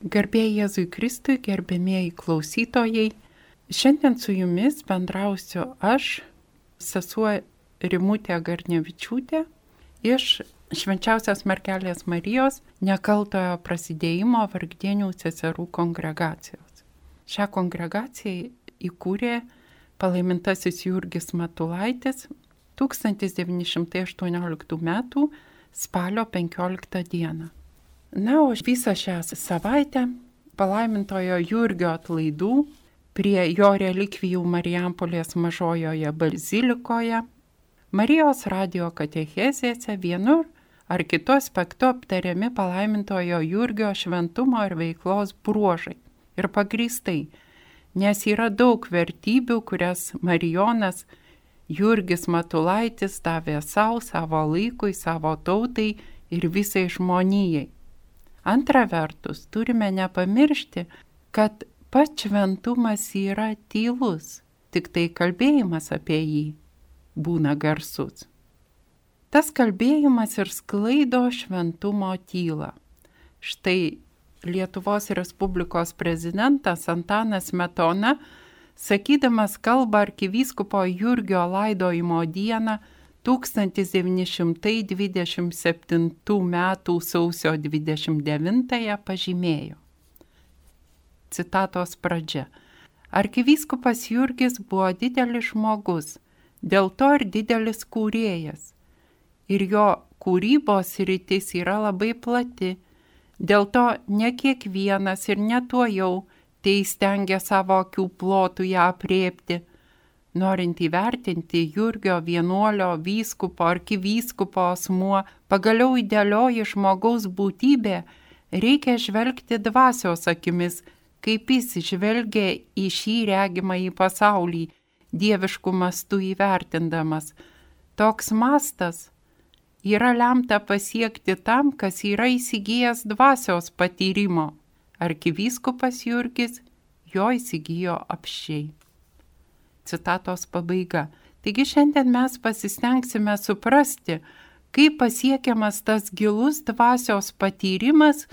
Garbėjai Jėzui Kristui, gerbėmieji klausytojai, šiandien su jumis bendrausiu aš, sesuo Rimutė Garnevičiūtė, iš Švenčiausios Mergelės Marijos nekaltojo prasidėjimo Vargdienių seserų kongregacijos. Šią kongregaciją įkūrė palaimintasis Jurgis Matulaitis 1918 m. spalio 15 d. Na, o visą šią savaitę palaimintojo Jurgio atlaidų prie jo relikvijų Marijampolės mažojoje bazilikoje, Marijos radijo katechezėse vienur ar kitu aspektu aptariami palaimintojo Jurgio šventumo ir veiklos bruožai. Ir pagrįstai, nes yra daug vertybių, kurias Marijonas Jurgis Matulaitis davė savo laikui, savo tautai ir visai žmonijai. Antra vertus, turime nepamiršti, kad pats šventumas yra tylus, tik tai kalbėjimas apie jį būna garsus. Tas kalbėjimas ir sklaido šventumo tylą. Štai Lietuvos Respublikos prezidentas Antanas Smetona, sakydamas kalbą arkivyskupo Jurgio laidojimo dieną 1927 m. sausio 29 pažymėjo. Citatos pradžia. Arkivyskupas Jurgis buvo didelis žmogus, dėl to ir didelis kūrėjas. Ir jo kūrybos sritis yra labai plati, dėl to ne kiekvienas ir ne tuojau teįstengia savo akių plotų ją aprėpti. Norint įvertinti Jurgio vienuolio, vyskupo, arkivyskupo asmuo, pagaliau idealioji žmogaus būtybė, reikia žvelgti dvasios akimis, kaip jis žvelgia į šį regimąjį pasaulį, dieviškų mastų įvertindamas. Toks mastas yra lemta pasiekti tam, kas yra įsigijęs dvasios patyrimo. Arkivyskupas Jurgis jo įsigijo apsčiai. Citatos pabaiga. Taigi šiandien mes pasistengsime suprasti, kaip pasiekiamas tas gilus dvasios patyrimas,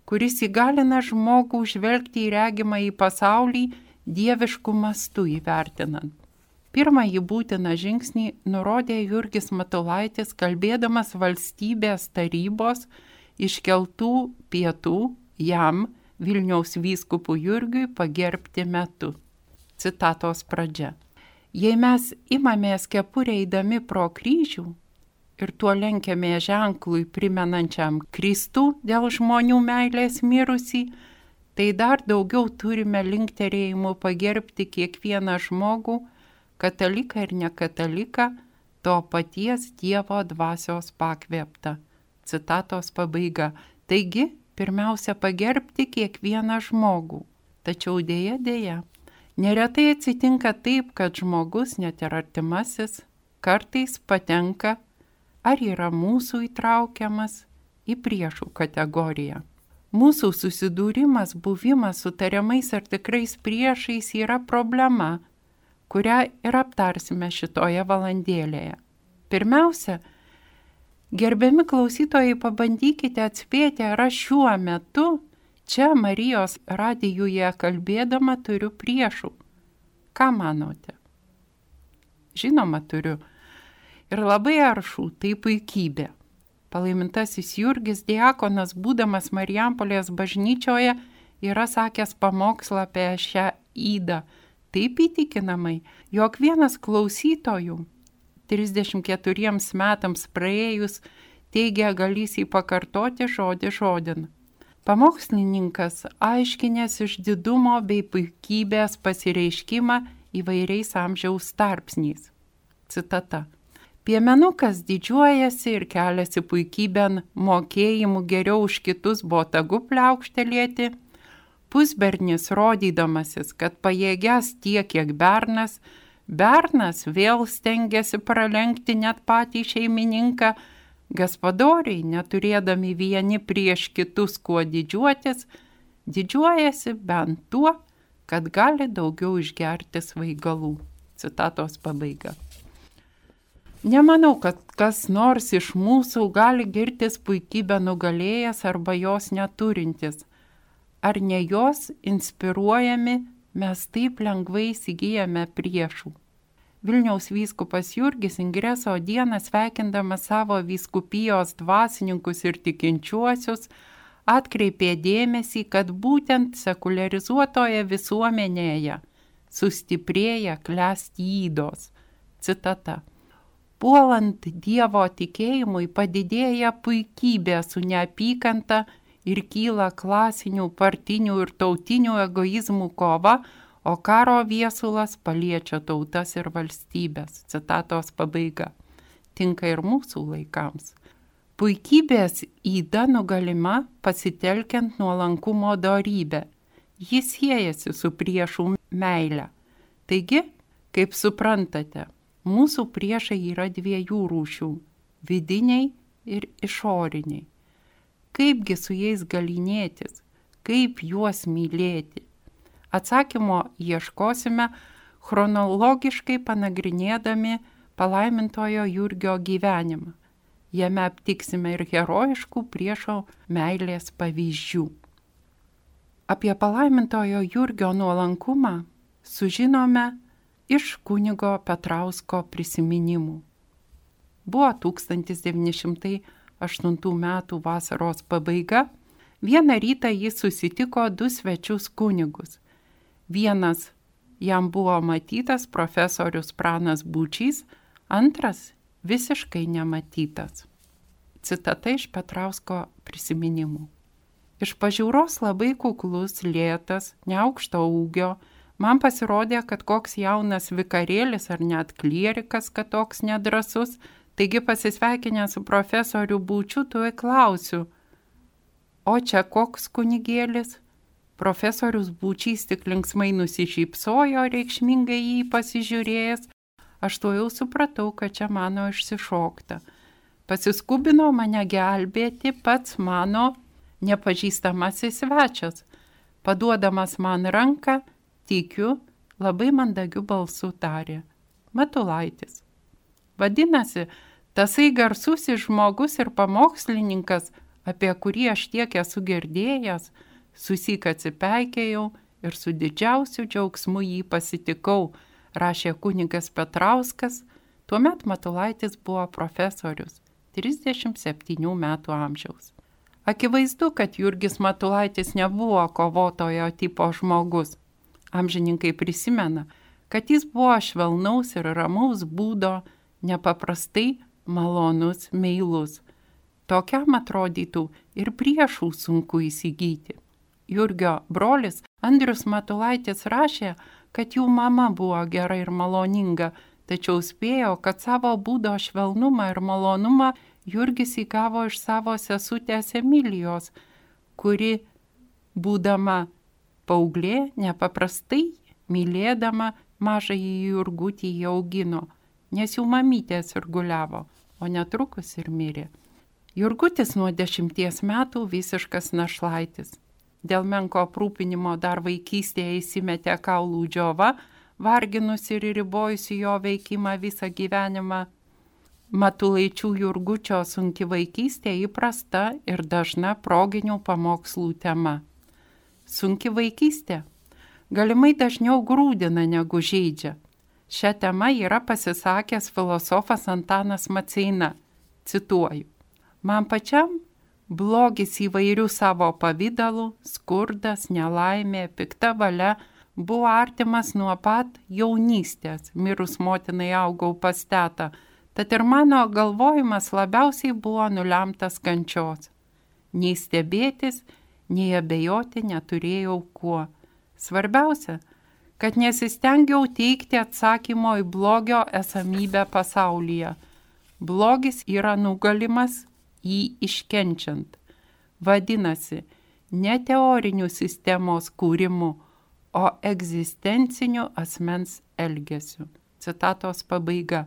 kuris įgalina žmogų žvelgti į regimąjį pasaulį dieviškų mastų įvertinant. Pirmąjį būtiną žingsnį nurodė Jurgis Matulaitis, kalbėdamas valstybės tarybos iškeltų pietų jam, Vilniaus vyskupų Jurgiui, pagerbti metu. Citatos pradžia. Jei mes imamės kepurę eidami pro kryžių ir tuo lenkiame ženklui primenančiam Kristų dėl žmonių meilės mirusį, tai dar daugiau turime linkterėjimų pagerbti kiekvieną žmogų, kataliką ir nekataliką, to paties Dievo dvasios pakvėpta. Citatos pabaiga. Taigi, pirmiausia pagerbti kiekvieną žmogų. Tačiau dėja. Neretai atsitinka taip, kad žmogus, net ir artimasis, kartais patenka ar yra mūsų įtraukiamas į priešų kategoriją. Mūsų susidūrimas, buvimas su tariamais ar tikrais priešais yra problema, kurią ir aptarsime šitoje valandėlėje. Pirmiausia, gerbiami klausytojai, pabandykite atspėti, ar aš šiuo metu čia Marijos radijuje kalbėdama turiu priešų. Ką manote? Žinoma, turiu. Ir labai aršų, tai puikybė. Palaimintasis Jurgis diakonas, būdamas Marijampolės bažnyčioje, yra sakęs pamokslą apie šią ydą taip įtikinamai, jog vienas klausytojų 34 metams praėjus teigia galys jį pakartoti žodį žodin. Pamokslininkas aiškinės išdidumo bei puikybės pasireiškimą įvairiais amžiaus tarpsniais. Citata. Piemenukas didžiuojasi ir keliasi puikybėn mokėjimu geriau už kitus botagu pliaukštelėti, pusbernis rodydamasis, kad pajėgęs tiek, kiek bernas vėl stengiasi pralenkti net patį šeimininką, gaspadoriai, neturėdami vieni prieš kitus kuo didžiuotis, didžiuojasi bent tuo, kad gali daugiau išgerti svaigalų. Citatos pabaiga. Nemanau, kad kas nors iš mūsų gali girtis puikybę nugalėjęs arba jos neturintis. ar ne jos inspiruojami mes taip lengvai įsigijame priešų. Vilniaus vyskupas Jurgis Ingreso dieną sveikindamas savo vyskupijos dvasininkus ir tikinčiuosius atkreipė dėmesį, kad būtent sekuliarizuotoje visuomenėje sustiprėja klesti ydos. Citata. Puolant Dievo tikėjimui padidėja puikybė su neapykanta ir kyla klasinių, partinių ir tautinių egoizmų kova, o karo viesulas paliečia tautas ir valstybės. Citatos pabaiga. Tinka ir mūsų laikams. Puikybės yda nugalima pasitelkiant nuolankumo dorybę. Jis siejasi su priešų meile. Taigi, kaip suprantate, mūsų priešai yra dviejų rūšių – vidiniai ir išoriniai. Kaipgi su jais galynėtis, kaip juos mylėti? Atsakymo ieškosime chronologiškai panagrinėdami palaimintojo Jurgio gyvenimą. Jame aptiksime ir herojiškų priešo meilės pavyzdžių. Apie palaimintojo Jurgio nuolankumą sužinome iš kunigo Petrausko prisiminimų. Buvo 1908 metų vasaros pabaiga. Vieną rytą jis susitiko 2 svečius kunigus. Vienas jam buvo matytas profesorius Pranas Būčys, antras visiškai nematytas. Citata iš Petrausko prisiminimų. Iš pažiūros labai kuklus, lėtas, neaukšto ūgio, man pasirodė, kad koks jaunas vikarėlis ar net klierikas, kad toks nedrąsus, taigi pasisveikinęs su profesoriu Būčiu, tuoj klausiu, o čia koks kunigėlis? Profesorius Būčys tik linksmai nusišypsojo, reikšmingai jį pasižiūrėjęs. Aš to jau supratau, kad čia mano išsišokta. Pasiskubino mane gelbėti pats mano nepažįstamasis svečias. Paduodamas man ranką, tikiu, labai mandagiu balsu tarė. Matulaitis. Vadinasi, tasai garsusis žmogus ir pamokslininkas, apie kurį aš tiek esu girdėjęs, susik atsipeikėjau ir su didžiausiu džiaugsmu jį pasitikau, rašė kunigas Petrauskas. Tuomet Matulaitis buvo profesorius, 37 metų amžiaus. Akivaizdu, kad Jurgis Matulaitis nebuvo kovotojo tipo žmogus. Amžininkai prisimena, kad jis buvo švelnaus ir ramaus būdo, nepaprastai malonus, meilus. Tokiam atrodytų ir priešų sunku įsigyti. Jurgio brolis Andrius Matulaitis rašė, kad jų mama buvo gera ir maloninga, tačiau spėjo, kad savo būdo švelnumą ir malonumą Jurgis įgavo iš savo sesutės Emilijos, kuri, būdama paauglė, nepaprastai mylėdama mažąjį Jurgutį jį augino, nes jų mamytė sirguliavo, o netrukus ir mirė. Jurgutis nuo 10 metų visiškas našlaitis. Dėl menko aprūpinimo dar vaikystėje įsimetė kaulų džiova, varginusi ir ribojusi jo veikimą visą gyvenimą. Matulaičių Jurgučio sunki vaikystė įprasta ir dažna proginių pamokslų tema. Sunki vaikystė galimai dažniau grūdina negu žeidžia. Šią temą yra pasisakęs filosofas Antanas Maceina. Cituoju. Man pačiam blogis įvairių savo pavydalų, skurdas, nelaimė, pikta valia buvo artimas nuo pat jaunystės. Mirus motinai augau pas tetą, tad ir mano galvojimas labiausiai buvo nulemtas kančios. Nei stebėtis, nei abejoti neturėjau kuo. Svarbiausia, kad nesistengiau teikti atsakymo į blogio esamybę pasaulyje. Blogis yra nugalimas jį iškenčiant. Vadinasi, ne teorinių sistemos kūrimu, o egzistenciniu asmens elgesiu. Citatos pabaiga.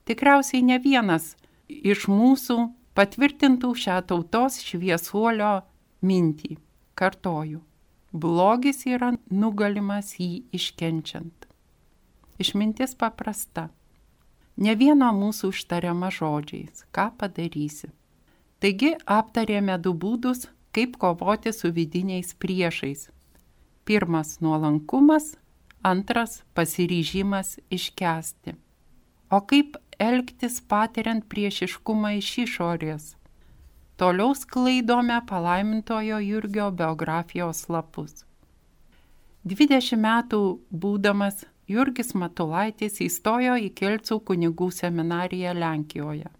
Tikriausiai ne vienas iš mūsų patvirtintų šią tautos šviesuolio mintį. Kartoju. Blogis yra nugalimas jį iškenčiant. Išmintis paprasta. Ne vieno mūsų ištariama žodžiais. Ką padarysi? Taigi aptarėme 2 būdus, kaip kovoti su vidiniais priešais. Pirmas – nuolankumas, antras – pasiryžimas iškęsti. O kaip elgtis patiriant priešiškumą iš išorės? Toliau sklaidome palaimintojo Jurgio biografijos lapus. 20 metų būdamas Jurgis Matulaitis įstojo į Kelcų kunigų seminariją Lenkijoje,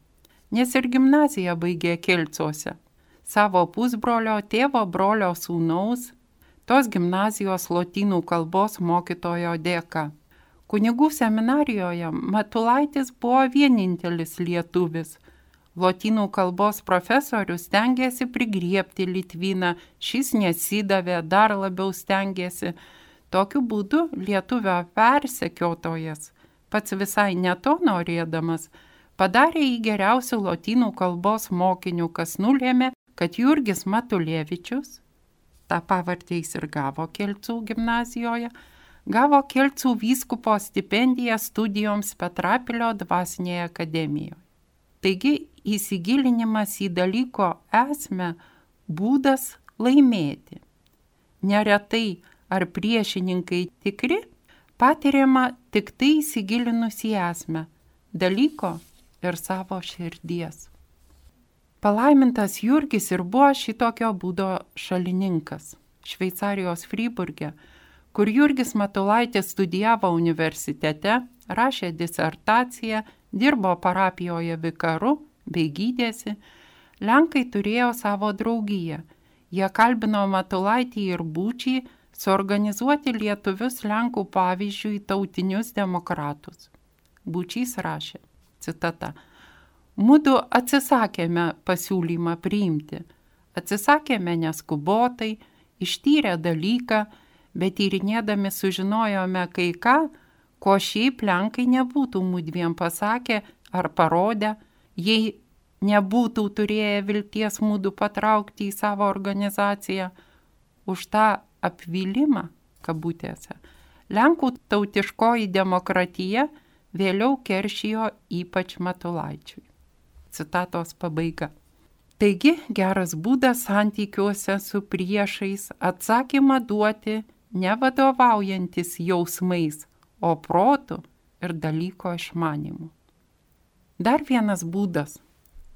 nes ir gimnaziją baigė Kelcuose, savo pusbrolio tėvo brolio sūnaus, tos gimnazijos lotynų kalbos mokytojo dėka. Kunigų seminarijoje Matulaitis buvo vienintelis lietuvis. Lotynų kalbos profesorius stengėsi prigriebti Litviną, šis nesidavė, dar labiau stengėsi. Tokiu būdu lietuvio persekiotojas, pats visai ne to norėdamas, padarė jį geriausių lotynų kalbos mokinių, kas nulėmė, kad Jurgis Matulevičius, tą pavardę jis ir gavo Kelcų gimnazijoje, gavo Kelcų vyskupo stipendiją studijoms Petrapilio dvasinėje akademijoje. Taigi įsigilinimas į dalyko esmę būdas laimėti. Neretai ar priešininkai tikri, patiriama tik tai įsigilinus į esmę dalyko ir savo širdies. Palaimintas Jurgis ir buvo šitokio būdo šalininkas. Šveicarijos Fryburge, kur Jurgis Matulaitis studijavo universitete, rašė disertaciją, dirbo parapijoje vikaru bei gydėsi, Lenkai turėjo savo draugiją. Jie kalbino Matulaitį ir Būčį suorganizuoti lietuvius Lenkų pavyzdžiui tautinius demokratus. Būčys rašė, citata, mudu atsisakėme pasiūlymą priimti. Atsisakėme neskubotai, ištyrę dalyką, bet tyrinėdami sužinojome kai ką, ko šiaip Lenkai nebūtų mudviem pasakę ar parodę, jei nebūtų turėję vilties mudu patraukti į savo organizaciją. Už tą apvylimą, kabutėse, Lenkų tautiškoji demokratija vėliau keršijo ypač Matulaičiui. Citatos pabaiga. Taigi geras būdas santykiuose su priešais atsakymą duoti nevadovaujantis jausmais, o protu ir dalyko išmanimu. Dar vienas būdas –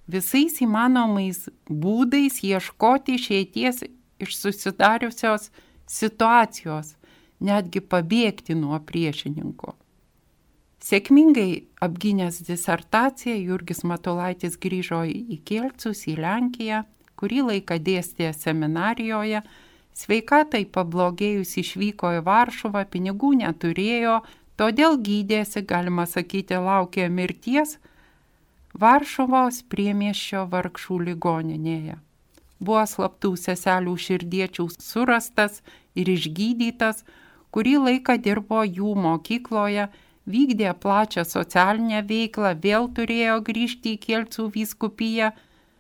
visais įmanomais būdais ieškoti išeities iš susidariusios situacijos, netgi pabėgti nuo priešininko. Sėkmingai apgynęs disertaciją, Jurgis Matulaitis grįžo į Kelcus, į Lenkiją, kurį laiką dėstė seminarijoje, sveikatai pablogėjus išvyko į Varšuvą, pinigų neturėjo, todėl gydėsi, galima sakyti, laukė mirties Varšuvos priemiesčio Vargšų ligoninėje. Buvo slaptų seselių širdiečių surastas ir išgydytas, kurį laiką dirbo jų mokykloje, vykdė plačią socialinę veiklą, vėl turėjo grįžti į Kelcų vyskupiją,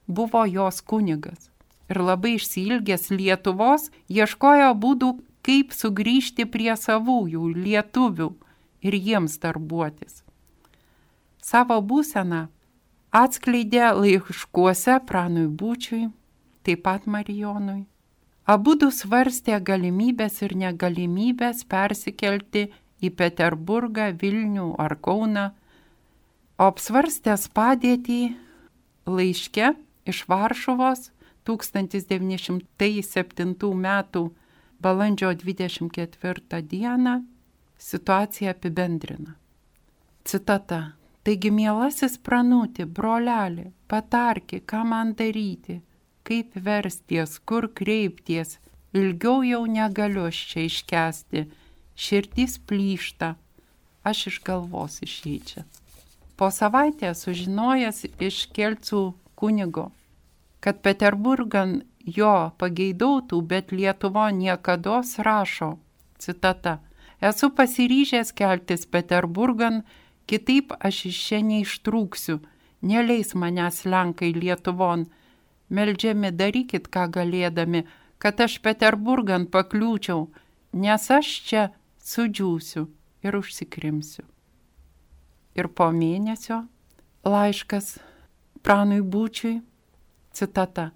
buvo jos kunigas. Ir labai išsiilgęs Lietuvos, ieškojo būdų, kaip sugrįžti prie savųjų lietuvių ir jiems darbuotis. Savo būseną atskleidė laiškuose Pranui Būčiui, taip pat Marijonui. Abudu svarstė galimybės ir negalimybės persikelti į Peterburgą, Vilnių ar Kauną, o apsvarstęs padėtį laiške iš Varšuvos 1907 metų balandžio 24 dieną situaciją apibendrina. Citata. Taigi, mielasis Pranuti, broleli, patarki, ką man daryti, kaip versties, kur kreipties, ilgiau jau negaliu čia iškęsti, širdis plyšta, aš iš galvos išeičia. Po savaitės sužinojęs iš Kelcų kunigo, kad Peterburgan jo pageidautų, bet Lietuvo niekados rašo, citata, esu pasiryžęs keltis Peterburgan, kitaip aš iš čia neištrūksiu, neleis manęs Lenkai Lietuvon, meldžiami darykit ką galėdami, kad aš Peterburgan pakliūčiau, nes aš čia sudžiūsiu ir užsikrimsiu. Ir po mėnesio laiškas Pranui Būčiui, citata,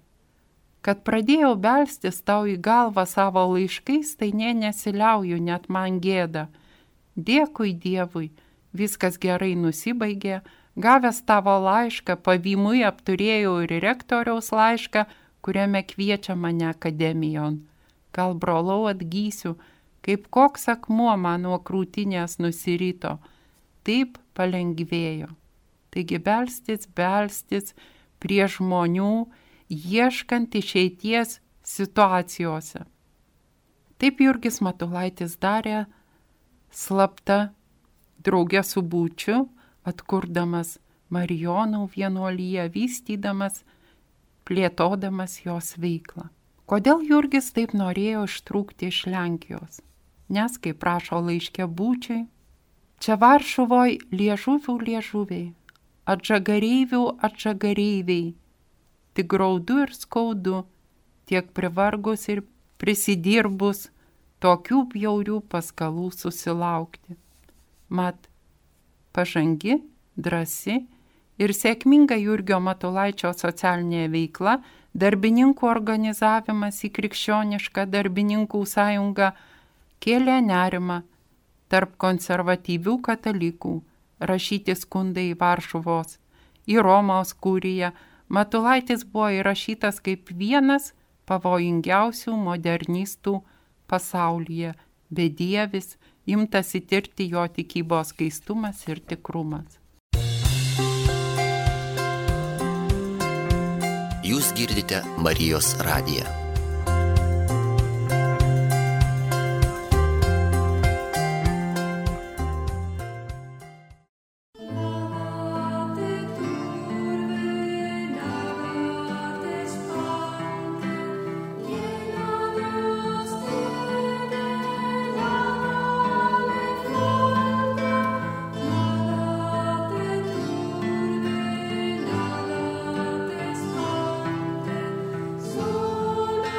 Kad pradėjau belstis tau į galvą savo laiškais, tai nesiliauju, net man gėda. Dėkui Dievui, viskas gerai nusibaigė, gavęs tavo laišką, pavymui apturėjau ir rektoriaus laišką, kuriame kviečia mane akademijon. Gal brolau atgysiu, kaip koks akmuo man nuo krūtinės nusirito. Taip palengvėjo. Taigi belstis prie žmonių, ieškant išeities situacijose. Taip Jurgis Matulaitis darė slapta drauge su Būčiu, atkurdamas Marijonų vienuoliją, vystydamas, plėtodamas jos veiklą. Kodėl Jurgis taip norėjo ištrūkti iš Lenkijos? Nes, kaip rašo laiške Būčiui, čia Varšuvoj liežuviai, atžagareiviai, tik graudu ir skaudu, tiek privargus ir prisidirbus, tokių bjaurių paskalų susilaukti. Mat, pažangi, drąsi ir sėkminga Jurgio Matulaičio socialinė veikla, darbininkų organizavimas į krikščionišką darbininkų sąjungą kėlė nerimą tarp konservatyvių katalikų, rašyti skundai į Varšuvos, į Romos kuriją. Matulaitis buvo įrašytas kaip vienas pavojingiausių modernistų pasaulyje, bedievis, imtasi tirti jo tikybos skaistumas ir tikrumas. Jūs girdite Marijos radiją. Sole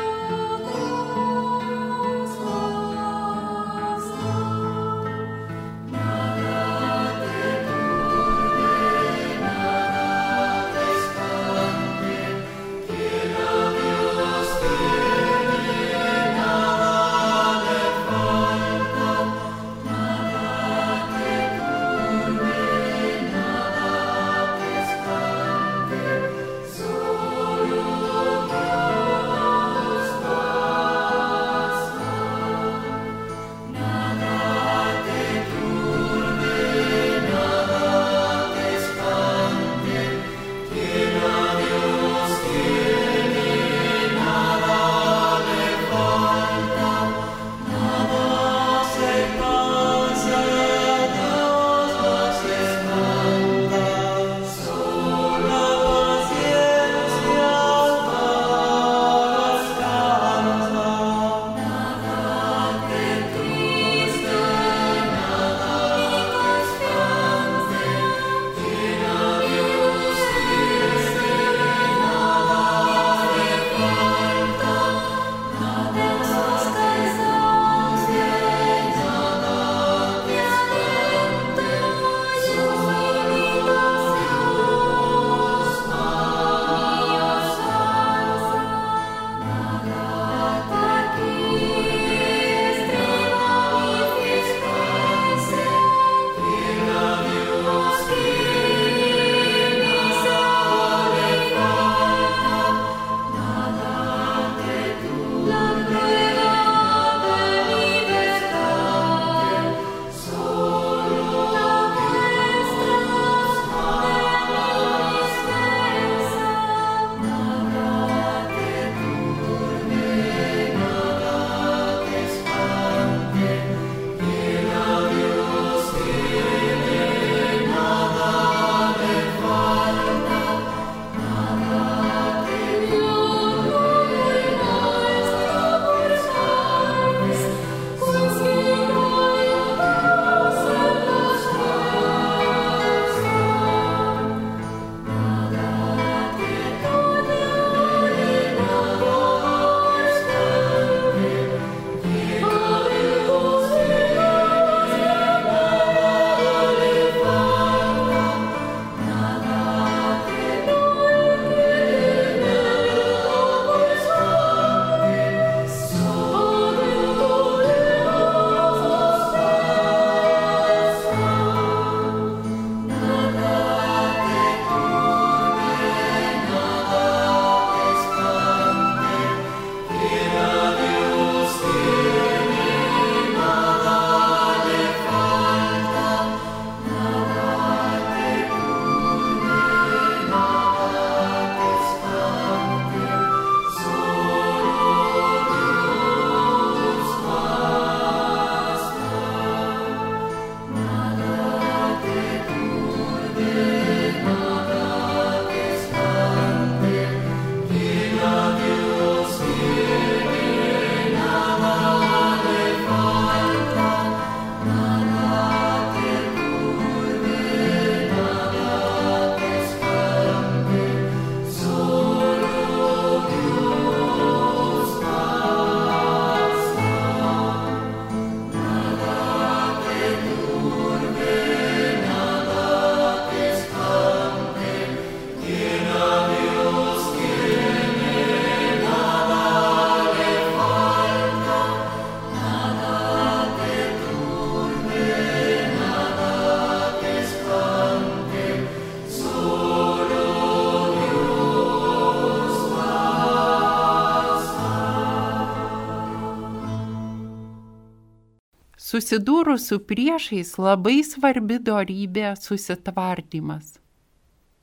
Susidūrus su priešais labai svarbi dorybė susitvardymas.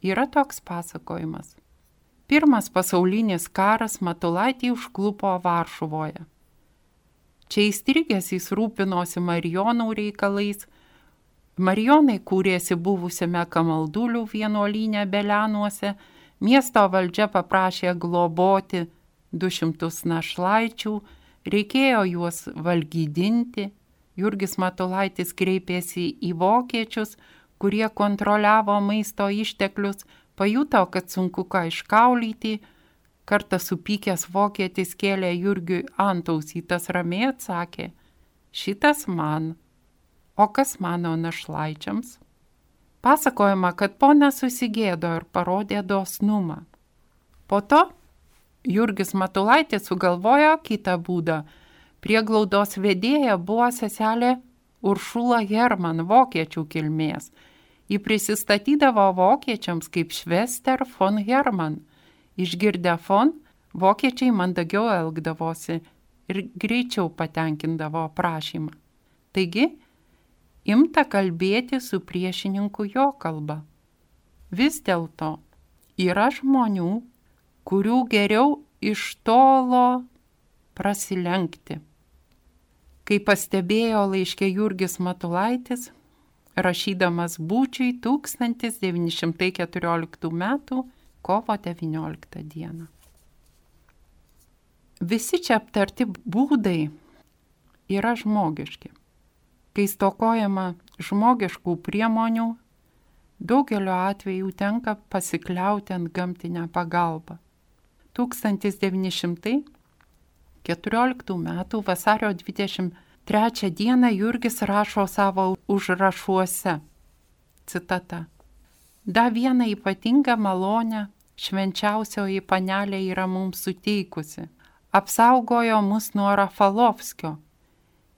Yra toks pasakojimas. Pirmas pasaulinis karas Matulaitį užklupo Varšuvoje. Čia įstrigęs jis rūpinosi Marijonų reikalais. Marijonai kūrėsi buvusiame Kamaldulių vienuolyne Belenuose. Miesto valdžia paprašė globoti 200 našlaičių, reikėjo juos valgydinti. Jurgis Matulaitis kreipėsi į vokiečius, kurie kontroliavo maisto išteklius, pajuto, kad sunku ką iškaulyti. Kartą supykęs vokietis kėlė Jurgiui antausį, tas ramiai atsakė, šitas man, o kas mano našlaičiams? Pasakojama, kad ponas susigėdo ir parodė dosnumą. Po to Jurgis Matulaitis sugalvojo kitą būdą. Prieglaudos vedėja buvo seselė Uršula Herman, vokiečių kilmės. Ji prisistatydavo vokiečiams kaip Schwester von Herman. Išgirdę von, vokiečiai mandagiau elgdavosi ir greičiau patenkindavo prašymą. Taigi, imta kalbėti su priešininku jo kalba. Vis dėlto yra žmonių, kurių geriau iš tolo prasilenkti. Kaip pastebėjo laiške Jurgis Matulaitis, rašydamas Būčiui 1914 m. kovo 19 d. Visi čia aptarti būdai yra žmogiški. Kai stokojama žmogiškų priemonių, daugeliu atveju tenka pasikliauti ant gamtinę pagalbą. 1914 m. vasario 23 d. Jurgis rašo savo užrašuose. Citata. Da vieną ypatingą malonę švenčiausioji panelė yra mums suteikusi. Apsaugojo mus nuo Rafalovskio.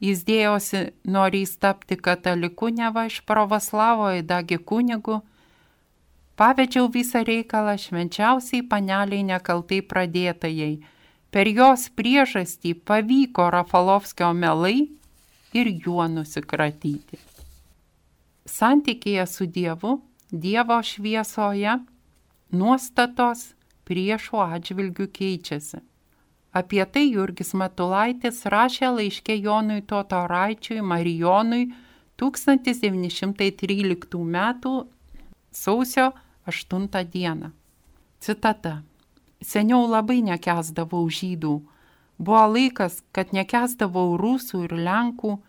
Jis dėjosi norys tapti kataliku, neva iš pravoslavo įdagi kunigu. Pavedžiau visą reikalą švenčiausiai paneliai nekaltai pradėtajai. Per jos priežastį pavyko Rafalovskio melai ir juo nusikratyti. Santykėje su Dievu, Dievo šviesoje, nuostatos priešų atžvilgių keičiasi. Apie tai Jurgis Matulaitis rašė laiške Jonui Totoraičiui Marijonui 1913 m. sausio 8 d. Citata. Seniau labai nekęsdavau žydų. Buvo laikas, kad nekęsdavau rusų ir lenkų,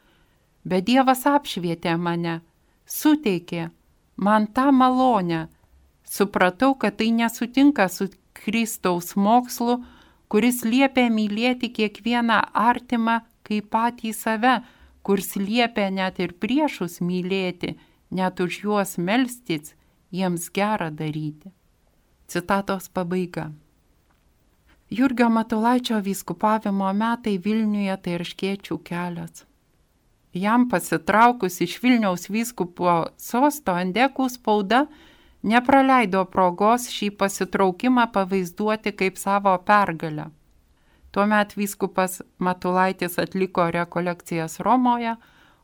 bet Dievas apšvietė mane, suteikė man tą malonę. Supratau, kad tai nesutinka su Kristaus mokslu, kuris liepia mylėti kiekvieną artimą kaip patį save, kuris liepia net ir priešus mylėti, net už juos melstis, jiems gerą daryti. Citatos pabaiga. Jurgio Matulaičio vyskupavimo metai Vilniuje tai Erškėčių kelias. Jam pasitraukus iš Vilniaus vyskupo sosto Endekų spauda nepraleido progos šį pasitraukimą pavaizduoti kaip savo pergalę. Tuomet vyskupas Matulaitis atliko rekolekcijas Romoje,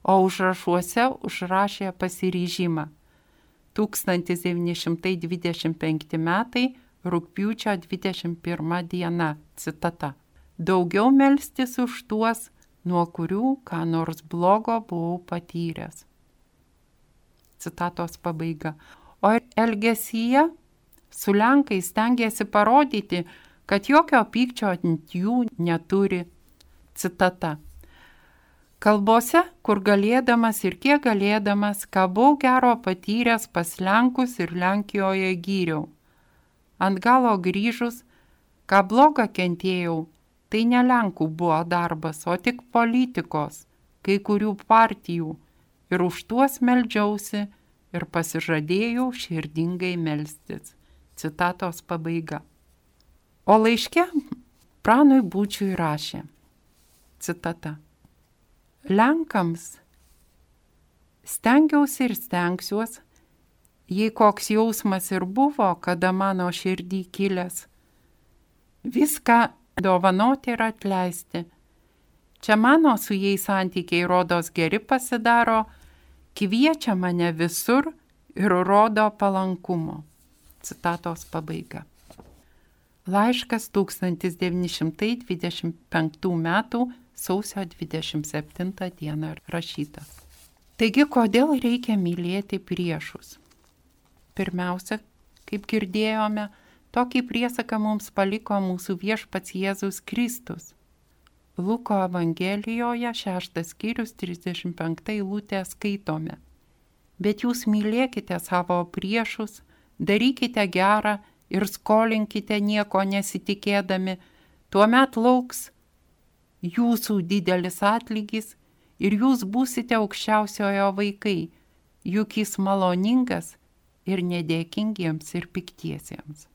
o užrašuose užrašė pasiryžimą. 1925 metai, rugpjūčio 21 diena, citata. Daugiau melstis už tuos, nuo kurių ką nors blogo buvau patyręs. Citatos pabaiga. O elgesyje su Lenkais stengiasi parodyti, kad jokio pykčio ant jų neturi. Citata. Kalbose, kur galėdamas ir kiek galėdamas, ką buvau gero patyręs pas Lenkus ir Lenkijoje gyriau. Ant galo grįžus, ką blogą kentėjau, tai ne Lenkų buvo darbas, o tik politikos, kai kurių partijų, ir už tuos meldžiausi ir pasižadėjau širdingai melstis. Citatos pabaiga. O laiške pranui Būčiui rašė. Citata. Lenkams stengiausi ir stengsiuos, jei koks jausmas ir buvo, kada mano širdį kilęs, viską dovanoti ir atleisti, Čia mano su jais santykiai rodos geri pasidaro, kviečia mane visur ir rodo palankumo. Citatos pabaiga. Laiškas 1925 m. sausio 27 d. rašytas. Taigi, kodėl reikia mylėti priešus? Pirmiausia, kaip girdėjome, tokį priesaką mums paliko mūsų viešpats Jėzus Kristus. Luko Evangelijoje 6 skyrius 35 eilutė skaitome. Bet jūs mylėkite savo priešus, darykite gerą ir skolinkite nieko nesitikėdami, tuomet lauks jūsų didelis atlygis ir jūs būsite aukščiausiojo vaikai, juk jis maloningas ir nedėkingiems ir piktiesiems.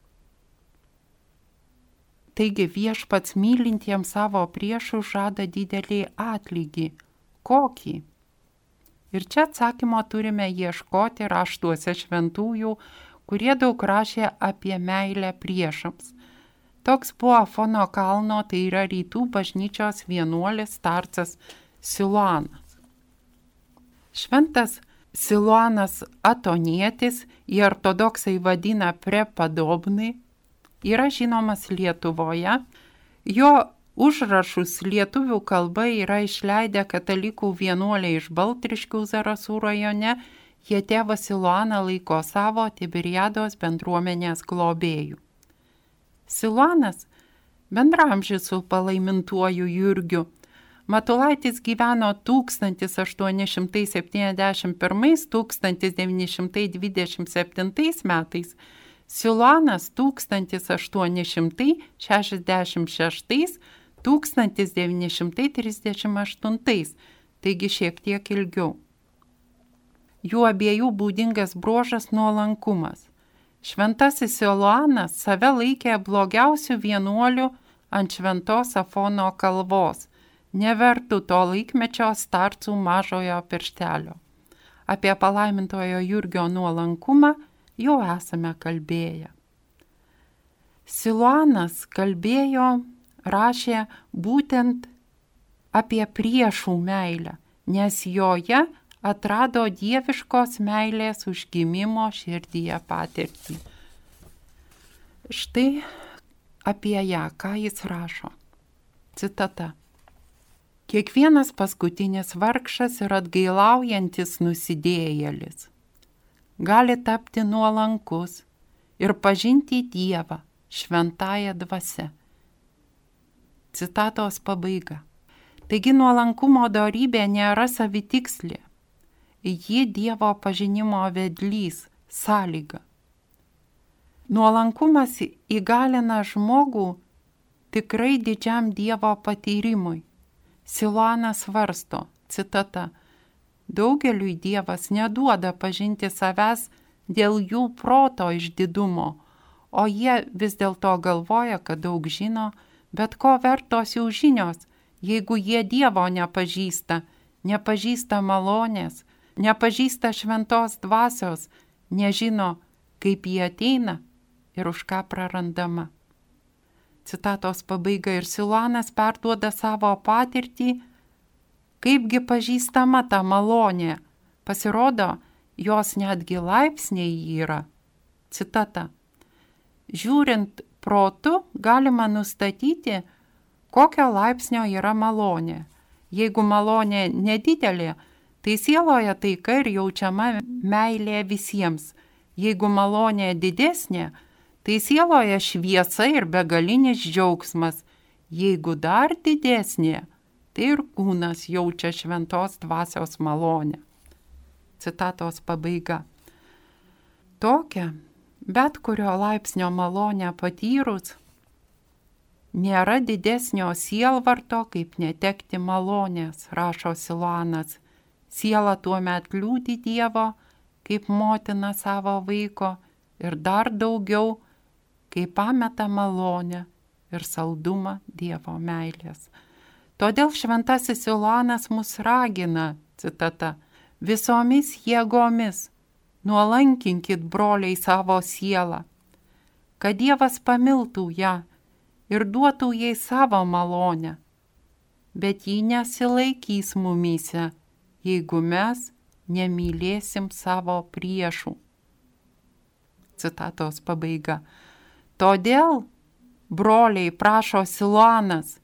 Taigi viešpats mylintiems savo priešus žada didelį atlygį. Kokį? Ir čia atsakymo turime ieškoti raštuose šventųjų, kurie daug rašė apie meilę priešams. Toks buvo Afono kalno, tai yra rytų bažnyčios vienuolis starcas Siluanas. Šventas Siluanas Atonietis, jį ortodoksai vadina prepodobnai, yra žinomas Lietuvoje. Jo užrašus lietuvių kalba yra išleidę katalikų vienuoliai iš Baltriškių Zarasų rajone. Jie tėvą Siluaną laiko savo Tiberiados bendruomenės globėjų. Siluanas bendraamžis su palaimintuoju Jurgiu. Matulaitis gyveno 1871–1927 metais, Siluanas 1866–1938, taigi šiek tiek ilgiau. Jų abiejų būdingas bruožas nuolankumas. Šventasis Siluanas save laikė blogiausių vienuolių ant šventos Afono kalvos, nevertų to laikmečio starcų mažojo pirštelio. Apie palaimintojo Jurgio nuolankumą jau esame kalbėję. Siluanas rašė būtent apie priešų meilę, nes joje atrado dieviškos meilės užgimimo širdyje patirtį. Štai apie ją, ką jis rašo. Citata. Kiekvienas paskutinis vargšas ir atgailaujantis nusidėjėlis gali tapti nuolankus ir pažinti Dievą šventąją dvasią. Citatos pabaiga. Taigi nuolankumo dorybė nėra savitikslė. Ji Dievo pažinimo vedlys, sąlyga. Nuolankumas įgalina žmogų tikrai didžiam Dievo patyrimui. Siluanas svarsto, citata, daugeliui Dievas neduoda pažinti savęs dėl jų proto išdidumo, o jie vis dėlto galvoja, kad daug žino, bet ko vertos jų žinios, jeigu jie Dievo nepažįsta malonės, nepažįsta šventos dvasios, nežino, kaip jie ateina ir už ką prarandama. Citatos pabaiga. Ir Siluanas perduoda savo patirtį, kaipgi pažįstama ta malonė. Pasirodo, jos netgi laipsniai yra. Citata. Žiūrint protu, galima nustatyti, kokio laipsnio yra malonė. Jeigu malonė nedidelė, tai sieloje taika ir jaučiama meilė visiems. Jeigu malonė didesnė, tai sieloje šviesa ir begalinis džiaugsmas. Jeigu dar didesnė, tai ir kūnas jaučia šventos dvasios malonę. Citatos pabaiga. Tokia, bet kurio laipsnio malonę patyrus, nėra didesnio sielvarto, kaip netekti malonės, rašo Siluanas. Siela tuomet liūdi Dievo, kaip motina savo vaiko, ir dar daugiau, kai pameta malonę ir saldumą Dievo meilės. Todėl šventasis Siluanas mus ragina, citata, visomis jėgomis nuolankinkit broliai savo sielą, kad Dievas pamiltų ją ir duotų jai savo malonę. bet ji nesilaikys mumyse, jeigu mes nemylėsim savo priešų. Citatos pabaiga. Todėl, broliai, prašo Siluanas,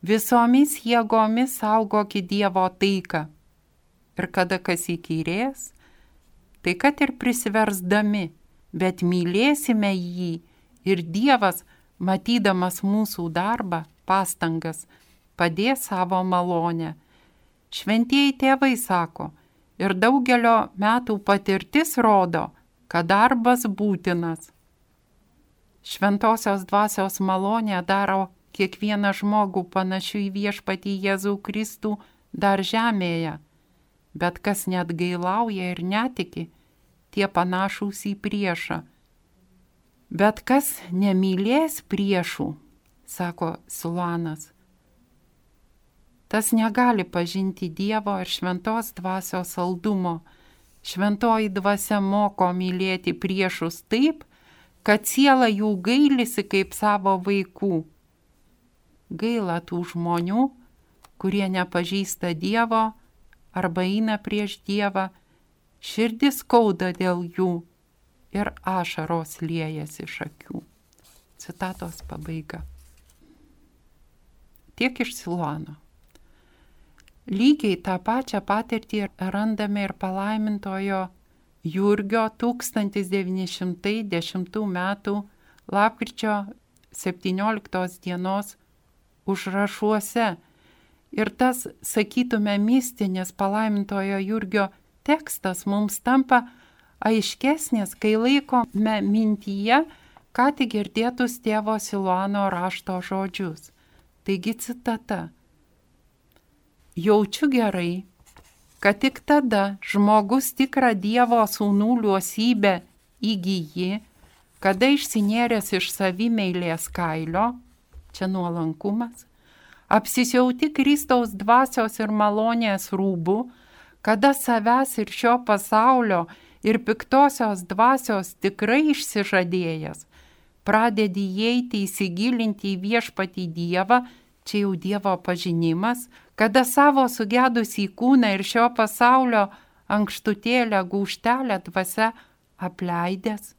visomis jėgomis saugokit Dievo taiką. Ir kada kas įkyrės, tai kad ir prisiversdami, bet mylėsime jį ir Dievas, matydamas mūsų darbą, pastangas, padės savo malonę. Šventieji tėvai sako, ir daugelio metų patirtis rodo, kad darbas būtinas. Šventosios dvasios malonė daro kiekvieną žmogų panašiu į viešpatį Jėzų Kristų dar žemėje, bet kas net gailauja ir netiki, tie panašūs į priešą. Bet kas nemylės priešų, sako Siluanas, tas negali pažinti Dievo ir šventos dvasios saldumo. Šventoji dvasia moko mylėti priešus taip, kad siela jų gailisi kaip savo vaikų. Gaila tų žmonių, kurie nepažįsta Dievo arba eina prieš Dievą, širdis skauda dėl jų ir ašaros liejasi iš akių. Citatos pabaiga. Tiek iš Siluano. Lygiai tą pačią patirtį randame ir palaimintojo Jurgio 1910 metų lapkričio 17 dienos užrašuose. Ir tas, sakytume, mistinis palaimintojo Jurgio tekstas mums tampa aiškesnis, kai laikome mintyje, ką tik girdėtus tėvo Siluano rašto žodžius. Taigi citata. Jaučiu gerai, kad tik tada žmogus tikrą Dievo sūnų liuosybę įgyji, kada išsinėręs iš savimeilės kailio, čia nuolankumas, apsisiauti Kristaus dvasios ir malonės rūbų, kada savęs ir šio pasaulio ir piktosios dvasios tikrai išsižadėjęs, pradedi įeiti įsigilinti į viešpatį Dievą, čia jau Dievo pažinimas, kada savo sugedusį kūną ir šio pasaulio ankštutėlę gūžtelę dvasia apleidęs,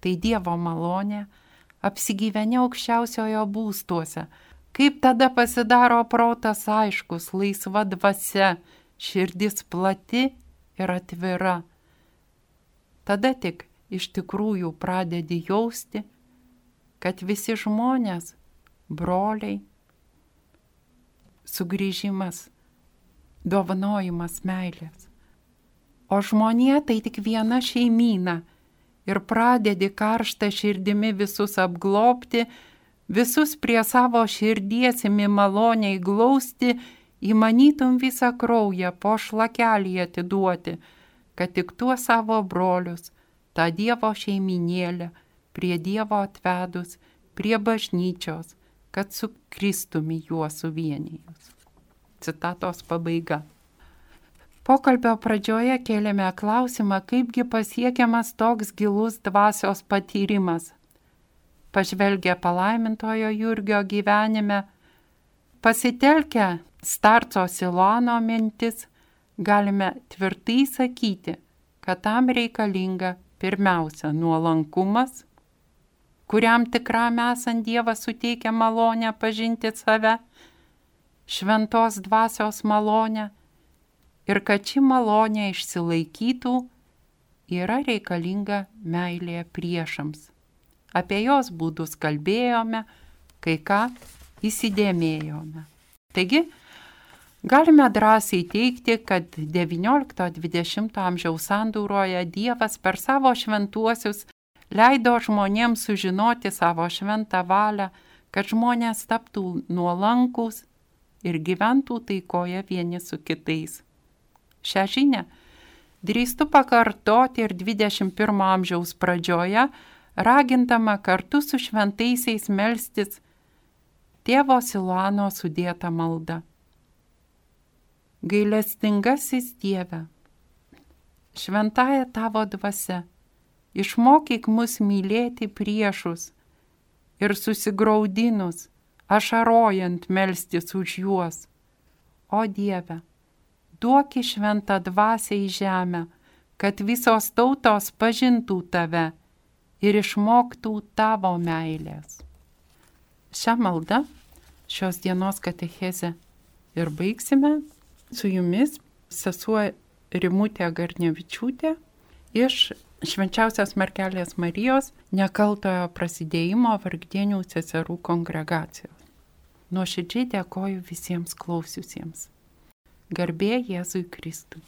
tai Dievo malonė, apsigyveni aukščiausiojo būstuose. Kaip tada pasidaro protas aiškus, laisva dvasia, širdis plati ir atvira. Tada tik iš tikrųjų pradedi jausti, kad visi žmonės, broliai, sugrįžimas, dovanojimas meilės. O žmonija tai tik viena šeimyna ir pradedi karštą širdimi visus apglobti, visus prie savo širdies imi maloniai glausti, įmanytum visą kraują po šlakelį atiduoti, kad tik tuo savo brolius, tą Dievo šeiminėlę, prie Dievo atvedus, prie bažnyčios, kad su Kristumi juos suvienijus. Citatos pabaiga. Pokalbio pradžioje kėlėme klausimą, kaipgi pasiekiamas toks gilus dvasios patyrimas. Pažvelgę palaimintojo Jurgio gyvenime, pasitelkę Starco Siluano mintis, galime tvirtai sakyti, kad tam reikalinga pirmiausia nuolankumas, kuriam tikram esant Dievas suteikia malonę pažinti save, šventos dvasios malonę, ir kad ši malonė išsilaikytų, yra reikalinga meilė priešams. Apie jos būdus kalbėjome, kai ką įsidėmėjome. Taigi, galime drąsiai teigti, kad XIX-XX amžiaus sandūroje Dievas per savo šventuosius leido žmonėms sužinoti savo šventą valią, kad žmonės taptų nuolankūs ir gyventų taikoje vieni su kitais. Šią žinią drįstu pakartoti ir 21 amžiaus pradžioje, ragindama kartu su šventaisiais melstis tėvo Siluano sudėtą maldą. Gailestingasis Dieve, šventąja tavo dvasia, išmokyk mus mylėti priešus ir susigraudinus, ašarojant melstis už juos, o Dieve, duok šventą dvasią į žemę, kad visos tautos pažintų tave ir išmoktų tavo meilės. Šią maldą, šios dienos katechezę ir baigsime. Su jumis sesuo Rimutė Garnevičiūtė iš Švenčiausios Mergelės Marijos Nekaltojo prasidėjimo Vargdienių seserų kongregacijos. Nuoširdžiai dėkoju visiems klausiusiems. Garbė Jėzui Kristui.